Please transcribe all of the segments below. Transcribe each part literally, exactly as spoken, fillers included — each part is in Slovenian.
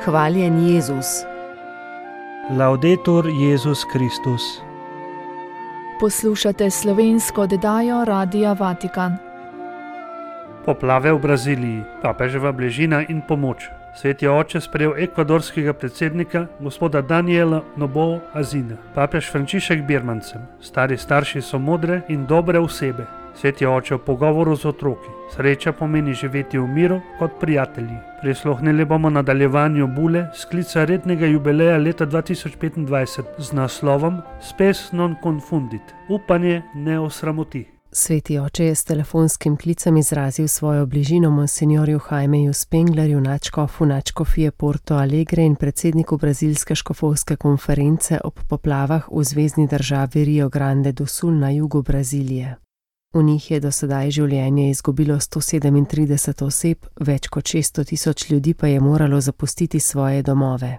Hvaljen Jezus. Laudetur Jezus Kristus. Poslušate slovensko oddajo Radia Vatikan. Poplave v Braziliji, papeževa bližina in pomoč. Sveti oče sprejel ekvadorskega predsednika, gospoda Daniela Noboa Azina. Papež Frančišek Birmancem. Stari starši so modre in dobre osebe. Sveti oče v pogovoru z otroki. Sreča pomeni živeti v miru kot prijatelji. Prisluhnili bomo nadaljevanju bule sklica rednega jubileja leta dva tisoč petindvajset z naslovom Spes non confundit. Upanje ne osramoti. Sveti oče je s telefonskim klicem izrazil svojo bližino monsinjorju Jaimeju Spenglerju, nadškofu nadškofije Porto Alegre in predsedniku brazilske škofovske konference ob poplavah v zvezni državi Rio Grande do Sul na jugu Brazilije. V njih je do sedaj življenje izgubilo sto sedemintrideset oseb, več kot šeststo tisoč ljudi pa je moralo zapustiti svoje domove.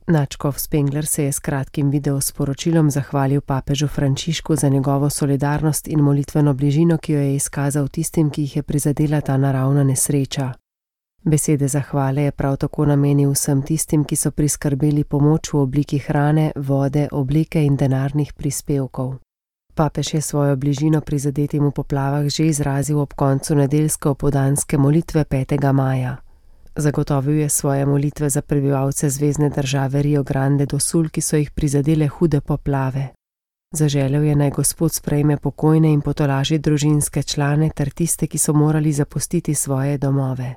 Nadškof Spengler se je s kratkim videosporočilom zahvalil papežu Frančišku za njegovo solidarnost in molitveno bližino, ki jo je izkazal tistim, ki jih je prizadela ta naravna nesreča. Besede zahvale je prav tako namenil vsem tistim, ki so priskrbeli pomoč v obliki hrane, vode, obleke in denarnih prispevkov. Papež je svojo bližino prizadetim v poplavah že izrazil ob koncu nedeljske opoldanske molitve petega maja. Zagotovil je svoje molitve za prebivalce zvezne države Rio Grande do Sul, ki so jih prizadele hude poplave. Zaželel je, naj Gospod sprejme pokojne in potolaži družinske člane ter tiste, ki so morali zapustiti svoje domove.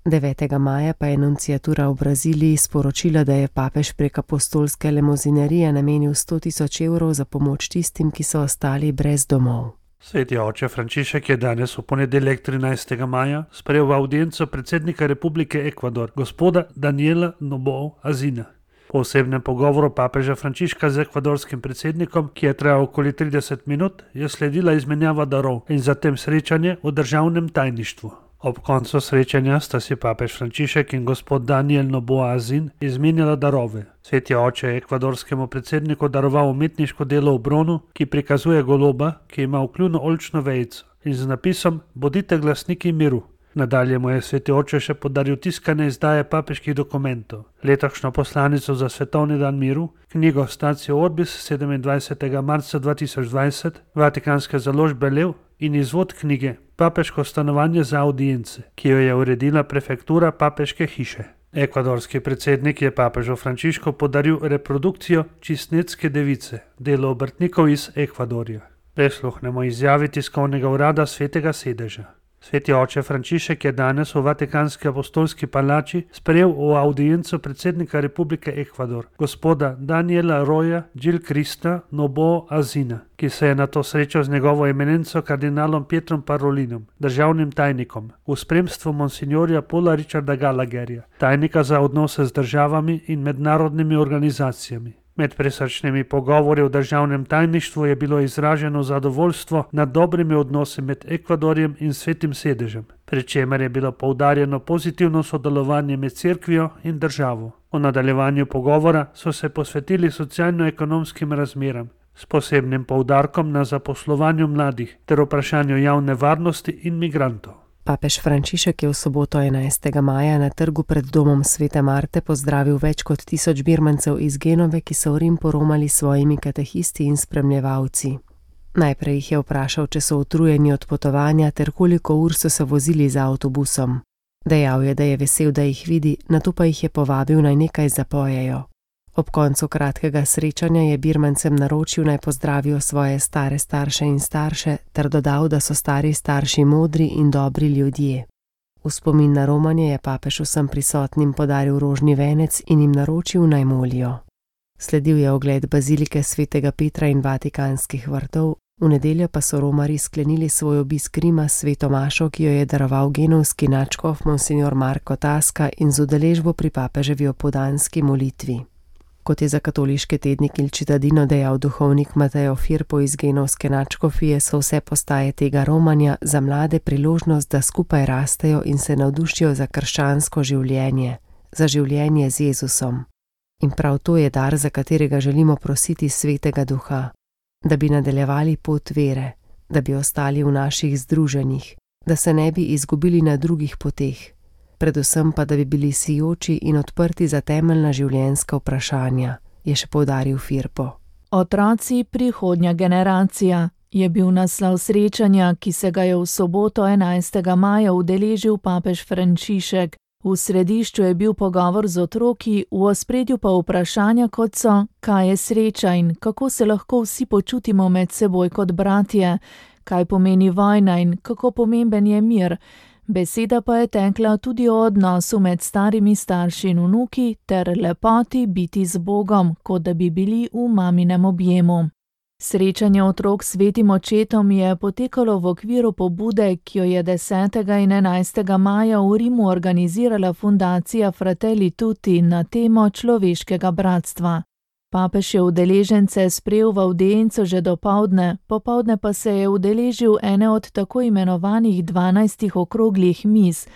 devetega maja pa je nunciatura v Braziliji sporočila, da je papež prek apostolske lemozinerije namenil sto tisoč evrov za pomoč tistim, ki so ostali brez domov. Sveti oče Frančišek je danes v ponedeljek trinajstega maja sprejel v avdienco predsednika Republike Ekvador, gospoda Daniela Noboa Azina. Po osebnem pogovoru papeža Frančiška z ekvadorskim predsednikom, ki je trajal okoli trideset minut, je sledila izmenjava darov in zatem srečanje v državnem tajništvu. Ob koncu srečanja sta si papež Frančišek in gospod Daniel Noboa Azin izmenjala darove. Sveti oče je ekvadorskemu predsedniku daroval umetniško delo v bronu, ki prikazuje goloba, ki ima vkljunu oljčno vejico in z napisom Bodite glasniki miru. Nadalje mu je sveti oče še podaril tiskane izdaje papeških dokumentov, letošnjo poslanico za svetovni dan miru, knjigo Statio Orbis sedemindvajsetega marca dva tisoč dvajset, vatikanske založbe Lev in izvod knjige Papeško stanovanje za audience, ki jo je uredila prefektura papeške hiše. Ekvadorski predsednik je papežu Frančišku podaril reprodukcijo Čistnetske device, delo obrtnikov iz Ekvadorja. Prisluhnemo izjavi tiskovnega urada Svetega sedeža. Sveti oče Frančišek je danes v Vatikanski apostolski palači sprejel v audienco predsednika Republike Ekvador, gospoda Daniela Roya Gil Krista Noboa Azina, ki se je na to srečal z njegovo eminenco kardinalom Pietrom Parolinom, državnim tajnikom, v spremstvu monsinjorja Paula Richarda Gallagherja, tajnika za odnose z državami in mednarodnimi organizacijami. Med prisrčnimi pogovori v državnem tajništvu je bilo izraženo zadovoljstvo nad dobrimi odnosi med Ekvadorjem in Svetim sedežem, pri čemer je bilo poudarjeno pozitivno sodelovanje med cerkvijo in državo. V nadaljevanju pogovora so se posvetili socialno-ekonomskim razmeram, s posebnim poudarkom na zaposlovanju mladih ter vprašanju javne varnosti in migrantov. Papež Frančišek je v soboto enajstega maja na trgu pred domom Svete Marte pozdravil več kot tisoč Birmancev iz Genove, ki so v Rim poromali s svojimi katehisti in spremljevalci. Najprej jih je vprašal, če so utrujeni od potovanja ter koliko ur so se vozili z avtobusom. Dejal je, da je vesel, da jih vidi, nato pa jih je povabil, naj nekaj zapojejo. Ob koncu kratkega srečanja je Birmancem naročil, naj pozdravijo svoje stare starše in starše, ter dodal, da so stari starši modri in dobri ljudje. V spomin na romanje je papež vsem prisotnim podaril rožni venec in jim naročil, naj molijo. Sledil je ogled bazilike svetega Petra in vatikanskih vrtov, v nedeljo pa so romarji sklenili svoj obisk Rima s sveto mašo, ki jo je daroval genovski nadškof monsinjor Marko Tasca in z udeležbo pri papeževi opoldanski molitvi. Kot je za katoliške tednik Il Cittadino dejal duhovnik Mateo Firpo iz genovske nadškofije, so vse postaje tega romanja za mlade priložnost, da skupaj rastejo in se navdušijo za krščansko življenje, za življenje z Jezusom. In prav to je dar, za katerega želimo prositi Svetega Duha, da bi nadaljevali pot vere, da bi ostali v naših združenjih, da se ne bi izgubili na drugih poteh, predvsem pa, da bi bili sijoči in odprti za temeljna življenjska vprašanja, je še poudaril Firpo. Otroci prihodnja generacija je bil naslov srečanja, ki se ga je v soboto enajstega maja udeležil papež Frančišek. V središču je bil pogovor z otroki, v ospredju pa vprašanja, kot so, kaj je sreča in kako se lahko vsi počutimo med seboj kot bratje, kaj pomeni vojna in kako pomemben je mir. Beseda pa je tekla tudi o odnosu med starimi starši in vnuki ter lepoti biti z Bogom, kot da bi bili v maminem objemu. Srečanje otrok s svetim očetom je potekalo v okviru pobude, ki jo je desetega in enajstega maja v Rimu organizirala fundacija Fratelli Tutti na temo človeškega bratstva. Papež je udeležence sprejel v avdienco že dopoldne, popoldne pa se je udeležil ene od tako imenovanih dvanajstih okroglih miz,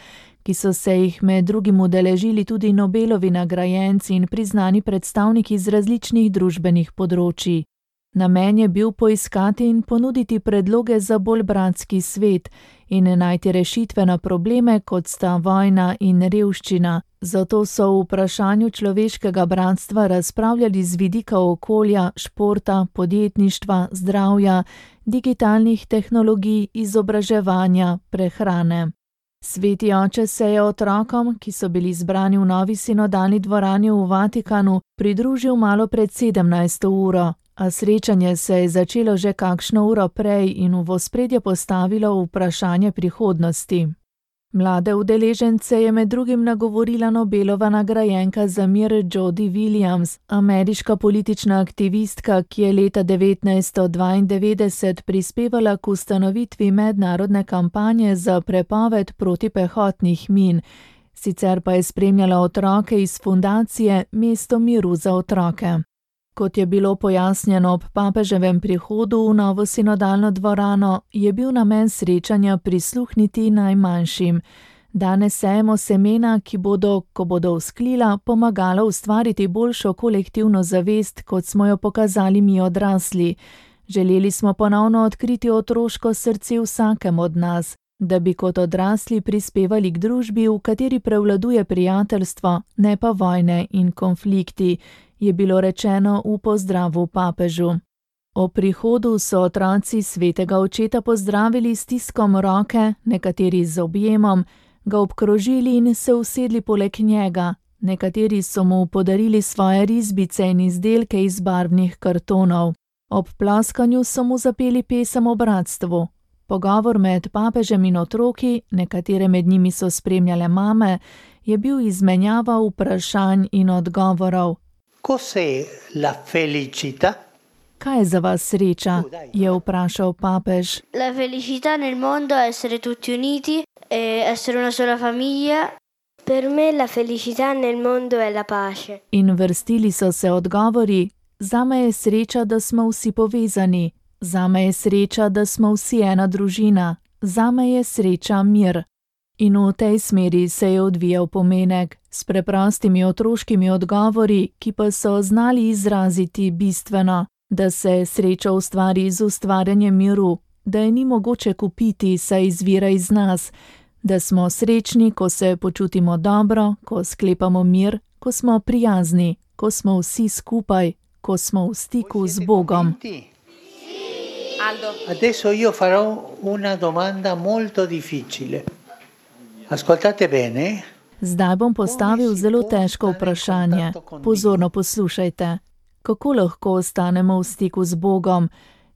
ki so se jih med drugim udeležili tudi Nobelovi nagrajenci in priznani predstavniki z različnih družbenih področij. Namen je bil poiskati in ponuditi predloge za bolj bratski svet in najti rešitve na probleme, kot sta vojna in revščina. Zato so v vprašanju človeškega bratstva razpravljali z vidika okolja, športa, podjetništva, zdravja, digitalnih tehnologij, izobraževanja, prehrane. Sveti oče se je otrokom, ki so bili zbrani v novi sinodalni dvorani v Vatikanu, pridružil malo pred sedemnajsto uro. A srečanje se je začelo že kakšno uro prej in v ospredje postavilo vprašanje prihodnosti. Mlade udeležence je med drugim nagovorila Nobelova nagrajenka za mir Jody Williams, ameriška politična aktivistka, ki je leta devetnajststo dvaindevetdeset prispevala k ustanovitvi mednarodne kampanje za prepoved protipehotnih min, sicer pa je spremljala otroke iz fundacije Mesto miru za otroke. Kot je bilo pojasnjeno ob papeževem prihodu v novo sinodalno dvorano, je bil namen srečanja prisluhniti najmanjšim. Danes sejemo semena, ki bodo, ko bodo vzklila, pomagala ustvariti boljšo kolektivno zavest, kot smo jo pokazali mi odrasli. Želeli smo ponovno odkriti otroško srce vsakem od nas, da bi kot odrasli prispevali k družbi, v kateri prevladuje prijateljstvo, ne pa vojne in konflikti, je bilo rečeno v pozdravu papežu. O prihodu so otroci svetega očeta pozdravili s stiskom roke, nekateri z objemom, ga obkrožili in se usedli poleg njega, nekateri so mu podarili svoje risbice in izdelke iz barvnih kartonov. Ob ploskanju so mu zapeli pesem o bratstvu. Pogovor med papežem in otroki, nekatere med njimi so spremljale mame, je bil izmenjava vprašanj in odgovorov. Cos'è la felicità? Kaj je za vas sreča? Je vprašal papež. La felicità nel mondo è essere tutti uniti e essere una sola famiglia. Per me la felicità nel mondo è la pace. In vrstili so se odgovori. Zame je sreča, da smo vsi povezani. Zame je sreča, da smo vsi ena družina. Zame je sreča mir. In v tej smeri se je odvijal pomenek, s preprostimi otroškimi odgovori, ki pa so znali izraziti bistveno, da se sreča ustvari z ustvarjanjem miru, da je ni mogoče kupiti, saj izvira iz nas, da smo srečni, ko se počutimo dobro, ko sklepamo mir, ko smo prijazni, ko smo vsi skupaj, ko smo v stiku z Bogom. Adesso io farò una domanda molto difficile. Ascoltate bene. Zdaj bom postavil zelo težko vprašanje. Pozorno poslušajte. Kako lahko ostanemo v stiku z Bogom?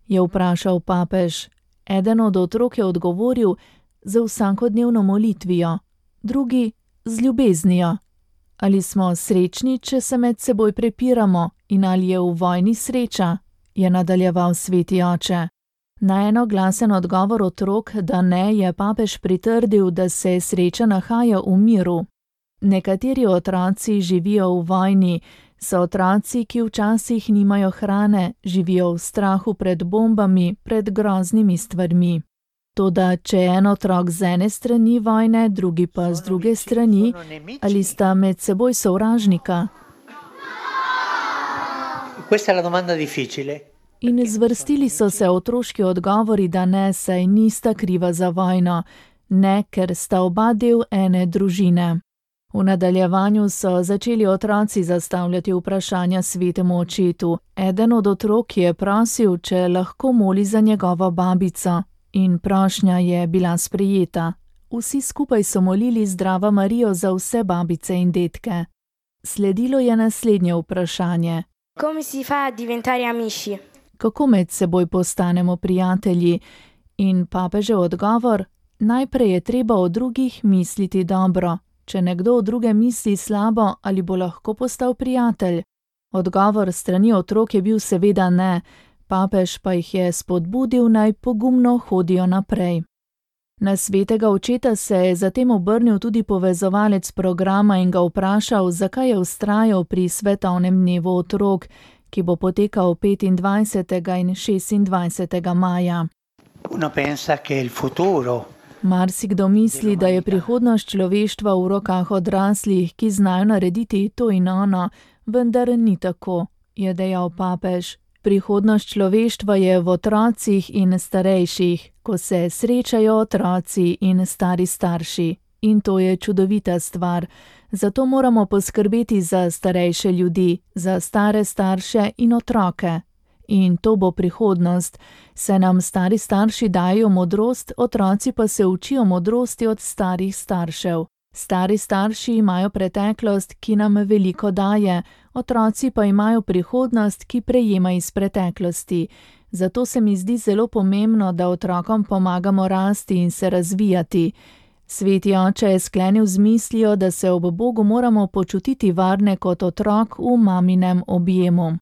Je vprašal papež. Eden od otrok je odgovoril z vsakodnevno molitvijo, drugi z ljubeznijo. Ali smo srečni, če se med seboj prepiramo, in ali je v vojni sreča? Je nadaljeval sveti oče. Na enoglasen odgovor otrok, da ne, je papež pritrdil, da se sreča nahaja v miru. Nekateri otroci živijo v vojni, so otroci, ki včasih nimajo hrane, živijo v strahu pred bombami, pred groznimi stvarmi. Toda, če je en otrok z ene strani vojne, drugi pa z druge strani, ali sta med seboj sovražnika? Questa è la domanda difficile. In zvrstili so se otroški odgovori, da ne, saj nista kriva za vojno. ne ker sta oba del ene družine. V nadaljevanju so začeli otroci zastavljati vprašanja svetemu očetu. Eden od otrok je prosil, če lahko moli za njegovo babico, in prošnja je bila sprejeta. Vsi skupaj so molili Zdrava Marijo za vse babice in dedke. Sledilo je naslednje vprašanje. Come si fa a diventare amici? Kako med seboj postanemo prijatelji? In papežev odgovor: najprej je treba o drugih misliti dobro. Če nekdo o druge misli slabo, ali bo lahko postal prijatelj? Odgovor strani otrok je bil seveda ne, papež pa jih je spodbudil, naj pogumno hodijo naprej. Na svetega očeta se je zatem obrnil tudi povezovalec programa in ga vprašal, zakaj je vztrajal pri svetovnem dnevu otrok, ki bo potekal petindvajsetega in šestindvajsetega maja. Uno pensa che il futuro Marsikdo misli, da je prihodnost človeštva v rokah odraslih, ki znajo narediti to in ono, vendar ni tako, je dejal papež. Prihodnost človeštva je v otrocih in starejših, ko se srečajo otroci in stari starši. In to je čudovita stvar. Zato moramo poskrbeti za starejše ljudi, za stare starše in otroke. In to bo prihodnost, saj nam stari starši dajo modrost, otroci pa se učijo modrosti od starih staršev. Stari starši imajo preteklost, ki nam veliko daje, otroci pa imajo prihodnost, ki prejema iz preteklosti. Zato se mi zdi zelo pomembno, da otrokom pomagamo rasti in se razvijati. Sveti oče je sklenil z mislijo, da se ob Bogu moramo počutiti varne kot otrok v maminem objemu.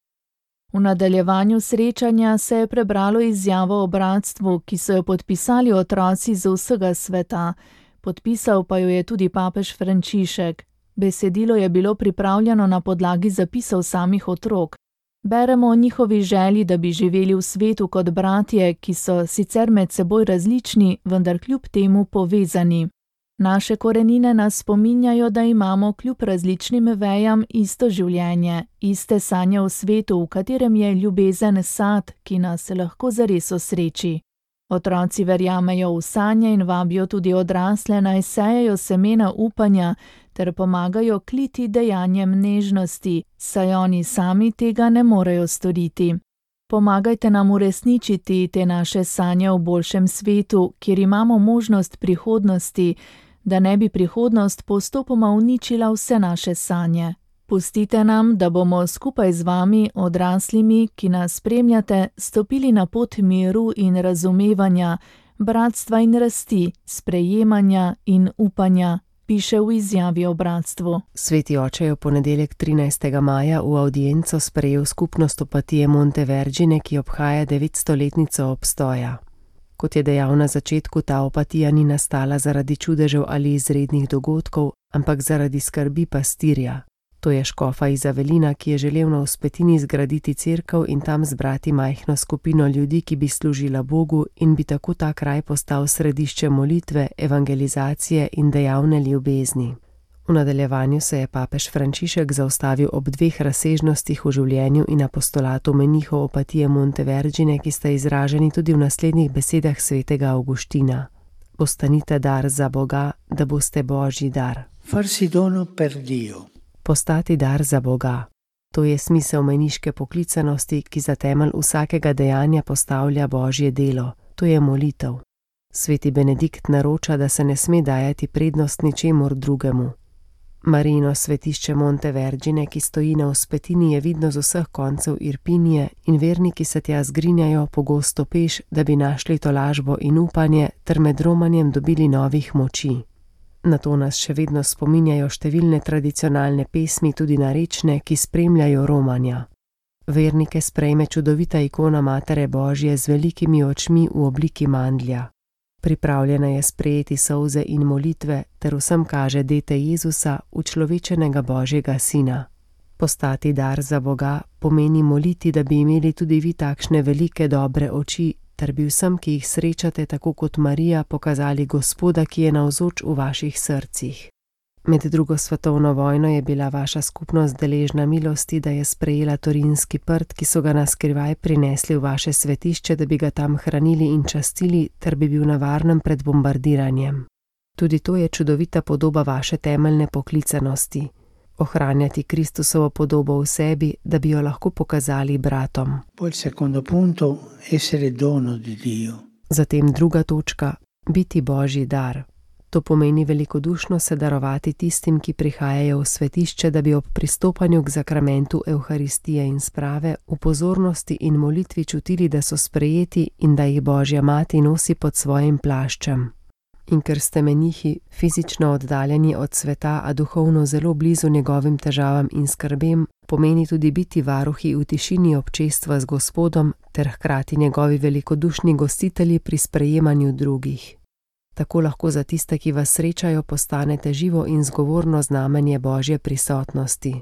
V nadaljevanju srečanja se je prebralo izjavo o bratstvu, ki so jo podpisali otroci z vsega sveta. Podpisal pa jo je tudi papež Frančišek. Besedilo je bilo pripravljeno na podlagi zapisov samih otrok. Beremo o njihovi želji, da bi živeli v svetu kot bratje, ki so sicer med seboj različni, vendar kljub temu povezani. Naše korenine nas spominjajo, da imamo kljub različnim vejam isto življenje, iste sanje v svetu, v katerem je ljubezen sad, ki nas lahko zares osreči. Otroci verjamejo v sanje in vabijo tudi odrasle, naj sejejo semena upanja ter pomagajo kliti dejanjem nežnosti, saj oni sami tega ne morejo storiti. Pomagajte nam uresničiti te naše sanje v boljšem svetu, kjer imamo možnost prihodnosti, da ne bi prihodnost postopoma uničila vse naše sanje. Pustite nam, da bomo skupaj z vami, odraslimi, ki nas spremljate, stopili na pot miru in razumevanja, bratstva in rasti, sprejemanja in upanja, piše v izjavi o bratstvu. Sveti oče je v ponedeljek trinajstega maja v avdienco sprejel skupnost Opatije Montevergine, ki obhaja devetstoletnico obstoja. Kot je dejal na začetku, ta opatija ni nastala zaradi čudežev ali izrednih dogodkov, ampak zaradi skrbi pastirja. To je škofa iz Avelina, ki je želel na vzpetini zgraditi cerkev in tam zbrati majhno skupino ljudi, ki bi služila Bogu in bi tako ta kraj postal središče molitve, evangelizacije in dejavne ljubezni. V nadaljevanju se je papež Frančišek zaustavil ob dveh razsežnostih v življenju in apostolatu menihov Opatije Montevergine, ki sta izraženi tudi v naslednjih besedah svetega Avguština. Postanite dar za Boga, da boste Božji dar. Farsi dono per Dio. Postati dar za Boga. To je smisel meniške poklicanosti, ki za temelj vsakega dejanja postavlja Božje delo. To je molitev. Sveti Benedikt naroča, da se ne sme dajati prednost ničemur drugemu. Marijino svetišče Montevergine, ki stoji na vzpetini, je vidno z vseh koncev Irpinije in verniki se tja zgrinjajo pogosto peš, da bi našli tolažbo in upanje ter med romanjem dobili novih moči. Na to nas še vedno spominjajo številne tradicionalne pesmi, tudi narečne, ki spremljajo romanja. Vernike sprejme čudovita ikona Matere Božje z velikimi očmi v obliki mandlja. Pripravljena je sprejeti solze in molitve, ter vsem kaže dete Jezusa, učlovečenega Božjega Sina. Postati dar za Boga pomeni moliti, da bi imeli tudi vi takšne velike dobre oči, ter bi vsem, ki jih srečate, tako kot Marija, pokazali Gospoda, ki je navzoč v vaših srcih. Med drugo svetovno vojno je bila vaša skupnost deležna milosti, da je sprejela torinski prt, ki so ga naskrivaj prinesli v vaše svetišče, da bi ga tam hranili in častili, ter bi bil na varnem pred bombardiranjem. Tudi to je čudovita podoba vaše temeljne poklicanosti. Ohranjati Kristusovo podobo v sebi, da bi jo lahko pokazali bratom. Poi il secondo punto, essere dono di Dio. Zatem druga točka, biti Božji dar. To pomeni velikodušno se darovati tistim, ki prihajajo v svetišče, da bi ob pristopanju k zakramentu Evharistije in sprave v pozornosti in molitvi čutili, da so sprejeti in da jih Božja mati nosi pod svojim plaščem. In ker ste menihi, fizično oddaljeni od sveta, a duhovno zelo blizu njegovim težavam in skrbem, pomeni tudi biti varuhi v tišini občestva z Gospodom ter hkrati njegovi velikodušni gostitelji pri sprejemanju drugih. Tako lahko za tiste, ki vas srečajo, postanete živo in zgovorno znamenje Božje prisotnosti.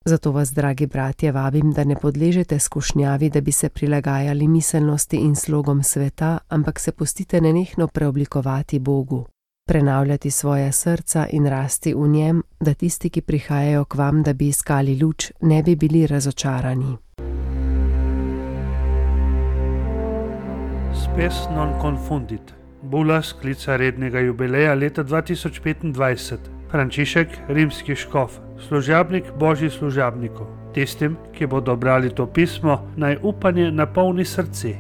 Zato vas, dragi bratje, vabim, da ne podležete skušnjavi, da bi se prilagajali miselnosti in slogom sveta, ampak se pustite nenehno preoblikovati Bogu, prenavljati svoja srca in rasti v njem, da tisti, ki prihajajo k vam, da bi iskali luč, ne bi bili razočarani. Spes non confundit. Bula sklica rednega jubileja leta dva tisoč petindvajset. Frančišek, rimski škof, služabnik Božji služabnikov. Tistim, ki bodo brali to pismo, naj upanje napolni srce.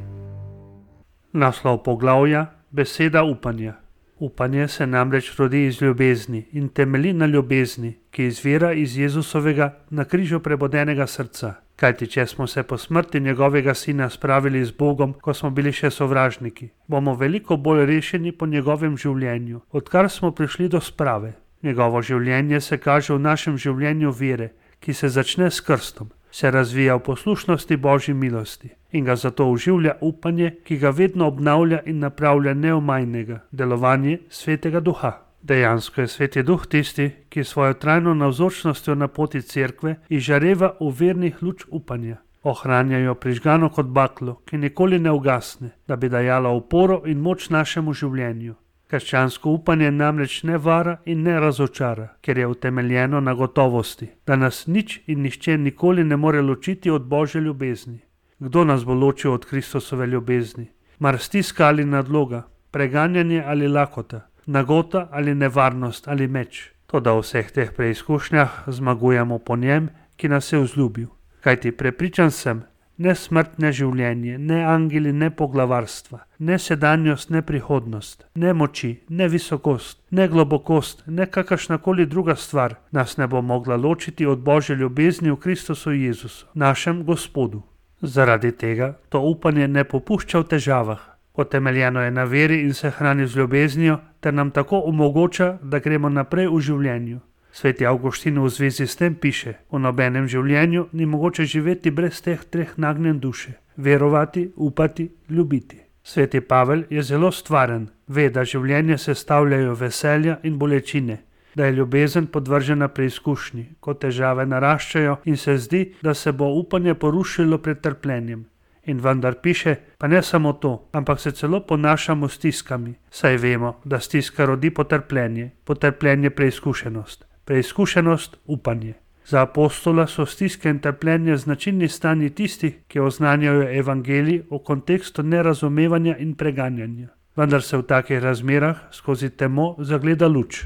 Naslov poglavja: beseda upanja. Upanje se namreč rodi iz ljubezni in temelji na ljubezni, ki izvira iz Jezusovega na križu prebodenega srca. Kajti če smo se po smrti njegovega sina spravili z Bogom, ko smo bili še sovražniki, bomo veliko bolj rešeni po njegovem življenju, odkar smo prišli do sprave. Njegovo življenje se kaže v našem življenju vere, ki se začne s krstom, se razvija v poslušnosti Božji milosti in ga zato oživlja upanje, ki ga vedno obnavlja in napravlja neomajnega, delovanje Svetega Duha. Dejansko je Sveti Duh tisti, ki svojo trajno navzočnostjo na poti cerkve izžareva v vernih luč upanja. Ohranja jo prižgano kot baklo, ki nikoli ne ugasne, da bi dajala oporo in moč našemu življenju. Krščansko upanje namreč ne vara in ne razočara, ker je utemeljeno na gotovosti, da nas nič in nihče nikoli ne more ločiti od Božje ljubezni. Kdo nas bo ločil od Kristusove ljubezni? Mar stiska ali nadloga, preganjanje ali lakota, nagota ali nevarnost ali meč? Toda v vseh teh preizkušnjah zmagujemo po njem, ki nas je vzljubil. Kajti prepričan sem, ne smrt, ne življenje, ne angeli, ne poglavarstva, ne sedanjost, ne prihodnost, ne moči, ne visokost, ne globokost, ne kakršnakoli druga stvar nas ne bo mogla ločiti od Božje ljubezni v Kristusu Jezusu, našem Gospodu. Zaradi tega to upanje ne popušča v težavah. Utemeljeno je na veri in se hrani z ljubeznijo, ter nam tako omogoča, da gremo naprej v življenju. Sveti Avguštin v zvezi s tem piše: v nobenem življenju ni mogoče živeti brez teh treh nagnjen duše: verovati, upati, ljubiti. Sveti Pavel je zelo stvaren, ve, da življenje sestavljajo veselja in bolečine, da je ljubezen podvržena preizkušnji, ko težave naraščajo in se zdi, da se bo upanje porušilo pred trpljenjem. In vendar piše, pa ne samo to, ampak se celo ponašamo s stiskami, saj vemo, da stiska rodi potrpljenje, potrpljenje preizkušenost, preizkušenost upanje. Za apostola so stiske in trpljenje značilni stanji tistih, ki oznanjajo evangelij v kontekstu nerazumevanja in preganjanja. Vendar se v takih razmerah skozi temo zagleda luč.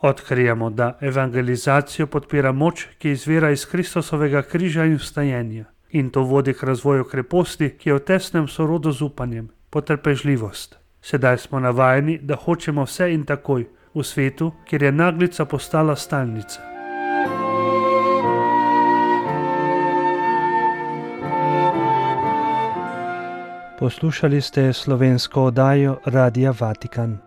Odkrijemo, da evangelizacijo podpira moč, ki izvira iz Kristusovega križa in vstajenja. In to vodi k razvoju kreposti, ki je v tesnem sorodu z upanjem, potrpežljivost. Sedaj smo navajeni, da hočemo vse in takoj, v svetu, kjer je naglica postala stalnica. Poslušali ste slovensko oddajo Radia Vatikan.